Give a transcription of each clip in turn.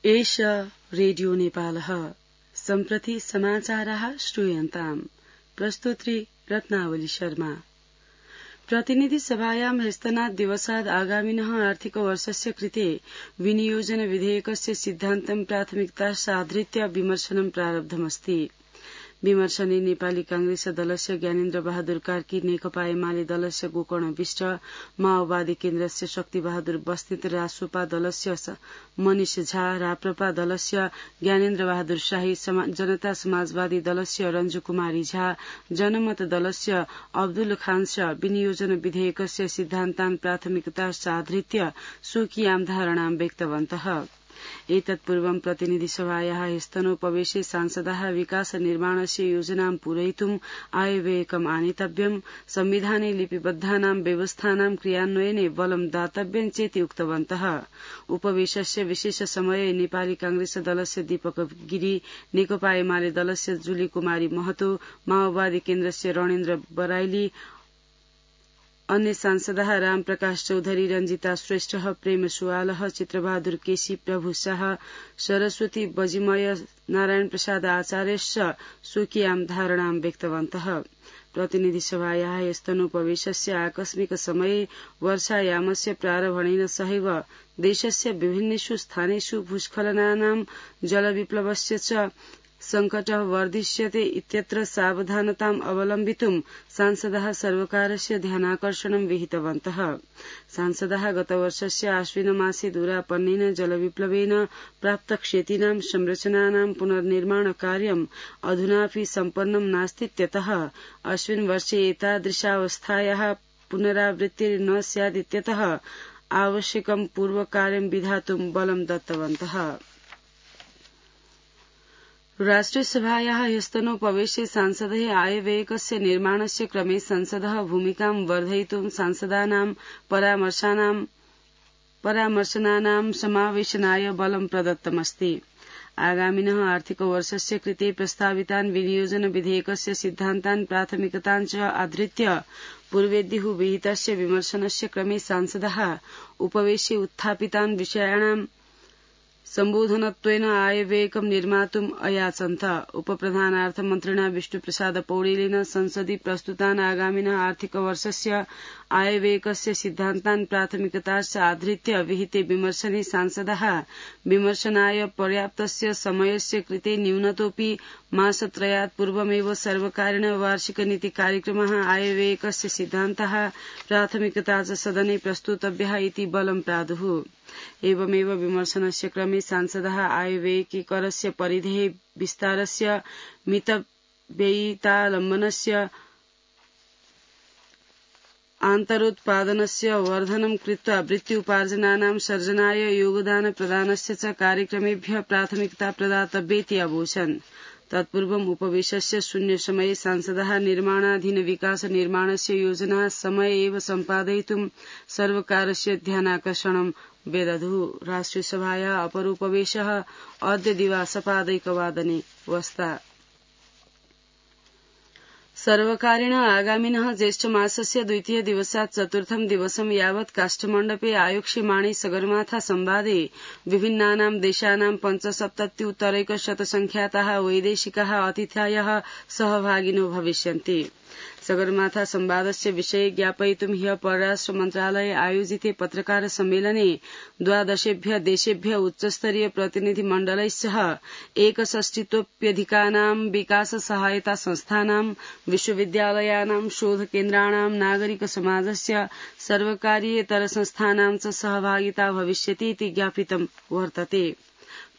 एष रेडियो नेपालः सम्प्रति समाचाराः श्रूयन्ताम्। प्रस्तुत्री रत्नावली शर्मा। प्रतिनिधि सभायां ह्यस्तनात् दिवसात् आगामिनः आर्थिकवर्षस्य कृते विनियोजन विधेयकस्य सिद्धान्तं प्राथमिकता साधृत्य विमर्शनं प्रारब्धमस्ति। विमर्शने नेपाली कांग्रेस दलस्य ज्ञानेन्द्र बहादुर कार्की, नेकपा एमाले दलस्य गोकर्ण विष्ट, माओवादी केन्द्रस्य शक्ति बहादुर बस्नेत, रासोपा दलस्य मनिष झा, राप्रपा दलस्य ज्ञानेन्द्र बहादुर शाही, जनता समाजवादी दलस्य रञ्जु कुमारी झा, जनमत दलस्य अब्दुल खान शाह विनियोजन विधेयकस्य सिद्धान्तान् प्राथमिकता साधृत्य स्वकीयां धारणां व्यक्तवन्तः। एतत्पूर्वं प्रतिनिधिसभायाः ह्यस्तनोपवेशे सांसदाः विकास निर्माणस्य योजनां पूरयितुम् आयव्ययकम् आनेतव्यम्, संविधाने लिपिबद्धानां व्यवस्थानां क्रियान्वयने बलं दातव्यं चेति उक्तवन्तः। उपवेशस्य विशेष समये नेपाली कांग्रेस दलस्य दीपक गिरी, नेकपा एमाले दलस्य जुली कुमारी महतो, माओवादी केन्द्रस्य रणेन्द्र बराइली, अन्य सांसदाः रामप्रकाश चौधरी, रंजिता श्रेष्ठ, प्रेम सुवालह, चित्रबहादुर केसी, प्रभु शाह, सरस्वती बजिमय, नारायण प्रसाद आचार्यश्च स्वकीयां धारणां व्यक्तवन्तः। प्रतिनिधि सभायाः ह्यस्तनोपवेशस्य आकस्मिक समये वर्षायामस्य प्रारम्भेन सहैव देशस्य विभिन्नेषु स्थानेषु भूस्खलनानां जलविप्लवस्य च संकटः वर्धिष्यते इत्यत्र सावधानताम् अवलम्बितुं सांसदाः सर्वकारस्य ध्यानाकर्षणं विहितवन्तः। सांसदाः गतवर्षस्य आश्विनमासे दूरापन्नेन जलविप्लवेन प्राप्तक्षतीनां संरचनानां पुनर्निर्माण कार्यम् अधुनापि सम्पन्नं नास्तीत्यतः अस्मिन् वर्षे एतादृशावस्थायाः पुनरावृत्तिर्न स्यादित्यतः आवश्यकं पूर्वकार्यं विधातुं बलं दत्तवन्तः। राष्ट्रियसभायाः ह्यस्तनोपवेशे सांसदैः आयव्ययकस्य निर्माणस्य क्रमे संसदः भूमिकां वर्धयितुं सांसदानां परामर्शनानां समावेशनाय बलं प्रदत्तमस्ति। आगामिनः आर्थिकवर्षस्य कृते प्रस्तावितान् विनियोजन विधेयकस्य सिद्धान्तान् प्राथमिकतान् च आधृत्य पूर्वेद्युः विहितस्य विमर्शनस्य क्रमे सांसदाः उपवेशे उत्थापितान् विषयाणां सम्बोधनत्वेन आयव्ययकं निर्मातुम् अयाचन्त। उपप्रधानार्थमन्त्रिणा विष्णुप्रसाद पौडेलेन संसदि प्रस्तुतान् आगामिनः आर्थिकवर्षस्य आयव्ययकस्य सिद्धान्तान् प्राथमिकता आधृत्य विहिते विमर्शने सांसदाः विमर्शनाय पर्याप्तस्य समयस्य कृते न्यूनतोऽपि मासत्रयात् पूर्वमेव सर्वकारेण वार्षिकनीति कार्यक्रमः आयव्ययकस्य सिद्धान्तः प्राथमिकता च सदने प्रस्तुतव्यः इति बलं प्रादुः। एवमेव विमर्शनस्य क्रमे सांसदाः आयव्ययिकरस्य परिधेः विस्तारस्य, मितव्ययितालम्बनस्य, आन्तरोत्पादनस्य वर्धनं कृत्वा वृत्त्युपार्जनानां सर्जनाय योगदान प्रदानस्य च कार्यक्रमेभ्यः प्राथमिकता प्रदातव्येति अवोचन्। तत्पूर्वम् उपवेशस्य शून्यसमये सांसदाः निर्माणाधीन विकास निर्माणस्य योजना समये एव सम्पादयितुं सर्वकारस्य ध्यानाकर्षणं व्यदधुः। राष्ट्रियसभायाः अपरोपवेशः अद्य दिवासपादैकवादने वस्ता। सर्वकारेण आगामिनः ज्येष्ठमासस्य द्वितीय दिवसात् चतुर्थं दिवसं यावत् काष्ठमण्डपे आयोक्ष्यमाणे सगरमाथा संवादे विभिन्नानां देशानां 75,000 वैदेशिकाः अतिथयः सहभागिनो भविष्यन्ति। सगरमाथा संवादस्य विषये ज्ञापयितुं ह्यः परराष्ट्र मन्त्रालये आयोजिते पत्रकार सम्मेलने 12 देशेभ्यः उच्चस्तरीय प्रतिनिधिमण्डलैस्सह 61,000 विकास सहायता संस्थानां, विश्वविद्यालयानां, शोधकेन्द्राणां, नागरिक समाजस्य, सर्वकारीयेतर संस्थानां च सहभागिता भविष्यति इति ज्ञापितं वर्तते।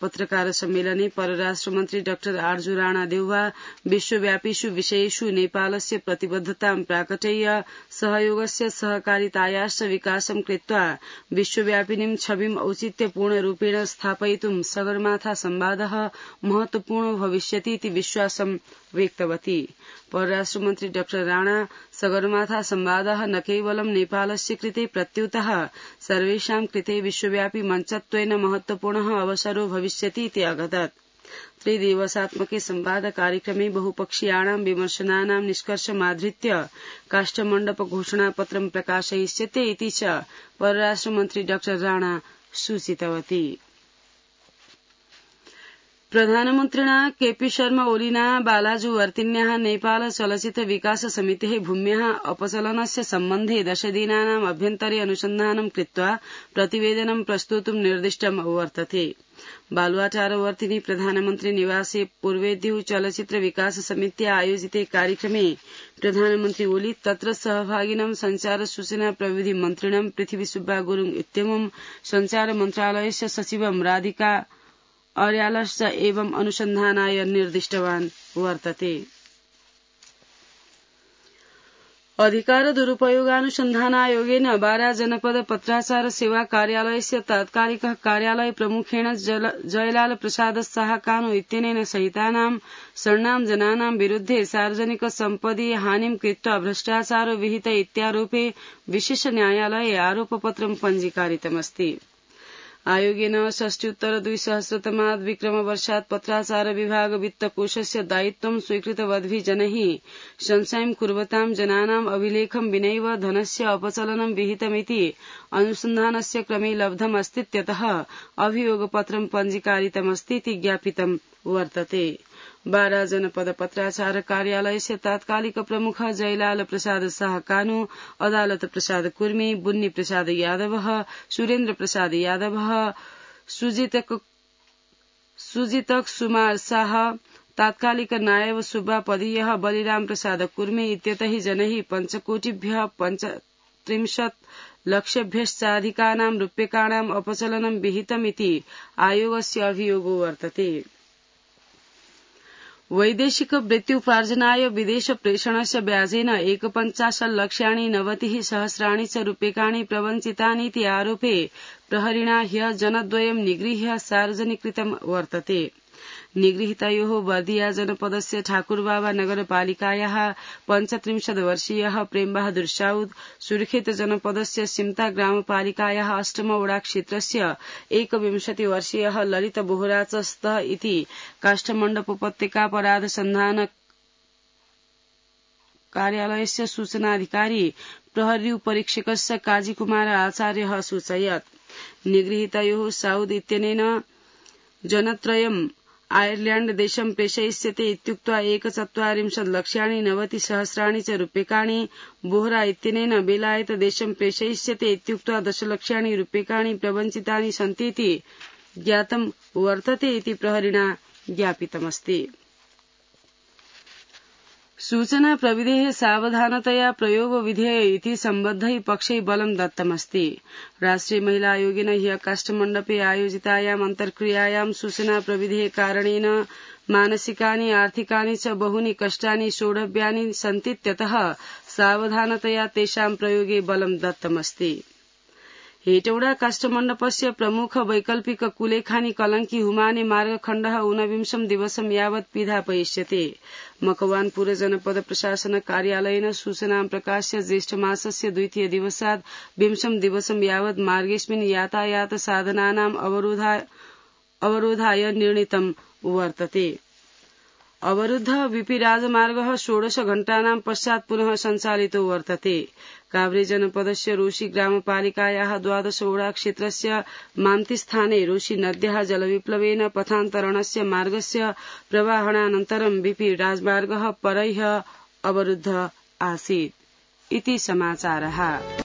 पत्रकार सम्मेलने परराष्ट्रमन्त्री डाक्टर आर्जु राणा देउवा विश्वव्यापीषु विषयेषु नेपालस्य प्रतिबद्धतां प्राकटय्य सहयोगस्य सहकारितायाश्च विकासं कृत्वा विश्वव्यापिनीं छविम् औचित्यपूर्णरूपेण स्थापयितुं सगरमाथा संवादः महत्वपूर्णो भविष्यति इति विश्वासं व्यक्तवती। परराष्ट्रमन्त्री डाक्टर राणा सगरमाथा संवादः न केवलं नेपालस्य कृते प्रत्युतः सर्वेषां कृते विश्वव्यापी मञ्चत्वेन महत्वपूर्णः अवसरो भविष्यति इति अगदत्। त्रिदिवसात्मके संवाद कार्यक्रमे बहुपक्षीयाणां विमर्शनानां निष्कर्षमाधृत्य काष्ठमण्डप घोषणापत्रं प्रकाशयिष्यते इति च परराष्ट्रमन्त्री डाक्टर राणा सूचितवती। प्रधानमन्त्रिणा केपी शर्मा ओलिना बालाजुवर्तिन्याः नेपाल चलचित्र विकास समितेः भूम्याः अपचलनस्य सम्बन्धे 10 दिनानाम् अभ्यन्तरे अनुसन्धानं कृत्वा प्रतिवेदनं प्रस्तोतुं निर्दिष्टम् वर्तते। बालुवाटारवर्तिनि प्रधानमन्त्री निवासे पूर्वेद्युः चलचित्र विकास समित्या आयोजिते कार्यक्रमे प्रधानमन्त्री ओली तत्र सहभागिनं संचार सूचना प्रविधि मन्त्रिणं पृथ्वीसुब्बा गुरुङ इत्यमुं संचार मन्त्रालयस्य सचिवं राधिका अर्यालश्च एवं अनुसन्धानाय निर्दिष्टवान् वर्तते। अधिकार दुरुपयोगानुसन्धानायोगेन बारा जनपद पत्राचार सेवा कार्यालयस्य तात्कालिकः कार्यालय प्रमुखेण जयलाल प्रसाद साहकानु इत्यनेन सहितानां षण्णां जनानां विरुद्धे सार्वजनिक सम्पदि हानिं कृत्वा भ्रष्टाचारो विहित इत्यारोपे विशेष न्यायालये आरोपपत्रं पञ्जीकारितमस्ति। आयोगेन 62 विक्रमवर्षात् पत्राचार विभाग वित्तकोषस्य दायित्वं स्वीकृतवद्भिः जनैः संशयं कुर्वतां जनानाम् अभिलेखं विनैव धनस्य अपचलनं विहितमिति अनुसन्धानस्य क्रमे लब्धमस्तीत्यतः अभियोगपत्रं पञ्जीकारितमस्तीति ज्ञापितं वर्तते। बारा जनपद पत्राचार कार्यालयस्य तात्कालिक प्रमुख जयलाल प्रसाद साहकानु, अदालत प्रसाद कुर्मी, बुन्नी प्रसाद यादव, सुरेन्द्र प्रसाद यादव, सुजितक सुमार शाह, तात्कालिक नायब सुब्बा पदीयः बलिराम प्रसाद कुर्मी इत्यतैः जनैः 5 कोटिभ्यः 35 लक्षभ्यश्चाधिकानां रूप्यकाणाम् अपचलनं विहितमिति आयोगस्य अभियोगो वर्तते। वैदेशिक वृत्त्युपार्जनाय विदेश प्रेषणस्य व्याजेन 51 लक्षाणि 90 सहस्राणि च रूप्यकाणि प्रवञ्चितानीति आरोपे प्रहरिणा ह्यः जनद्वयं निगृह्य सार्वजनिकृतं वर्तते। निगृहीतयोः बर्दिया जनपदस्य ठाकुरबाबा नगरपालिकायाः 35 वर्षीयः प्रेमबहादुर साउद, सुर्खेत जनपदस्य सिमता ग्रामपालिकायाः 8 वडा क्षेत्रस्य 21 वर्षीयः ललित बोहरा च स्तः इति काष्ठमण्डपोपत्यकापराध सन्धान कार्यालयस्य सूचनाधिकारी प्रहरी परीक्षकस्य काजीकुमार आचार्यः सूचयत्। निगृहीतयोः साउद इत्यनेन जनत्रयम् आयर्लैण्ड देशं प्रेषयिष्यते इत्युक्त्वा 41 लक्षाणि 90 सहस्राणि च रूप्यकाणि, बोहरा इत्यनेन बेलायत देशं प्रेषयिष्यते इत्युक्त्वा 10 लक्षाणि रूप्यकाणि प्रवञ्चितानि सन्तीति ज्ञातं वर्तते इति प्रहरिणा ज्ञापितमस्ति। सूचना प्रविधेः सावधानतया प्रयोग विधेय इति सम्बद्धैः पक्षैः बलं दत्तमस्ति। राष्ट्रिय महिला आयोगेन ह्यः काष्ठमण्डपे आयोजितायाम् अन्तर्क्रियायां सूचना प्रविधेः कारणेन मानसिकानि आर्थिकानि च बहुनि कष्टानि सोढव्यानि सन्तीत्यतः सावधानतया तेषां प्रयोगे बलं दत्तमस्ति। हेटौडा काष्ठमण्डपस्य प्रमुख वैकल्पिक कुलेखानि कलंकी हुमाने मार्गखण्डः 19 दिवसं यावत् पिधापयिष्यते। मकवानपुर जनपद प्रशासन कार्यालयेन सूचनां प्रकाश्य ज्येष्ठमासस्य 2 दिवसात् 20 दिवसं यावत् मार्गेऽस्मिन् यातायात साधनानाम् अवरोधाय निर्णीतं वर्तते। अवरुद्धः वीपी राजमार्गः 16 घण्टानां पश्चात् पुनः सञ्चालितो वर्तते। काभ्रे जनपदस्य रोशी ग्रामपालिकायाः 12 वडा क्षेत्रस्य मान्तिस्थाने रोशी नद्याः जलविप्लवेन पथान्तरणस्य मार्गस्य प्रवाहणानन्तरं वीपी राजमार्गः परैः अवरुद्धः आसीत् इति समाचारः।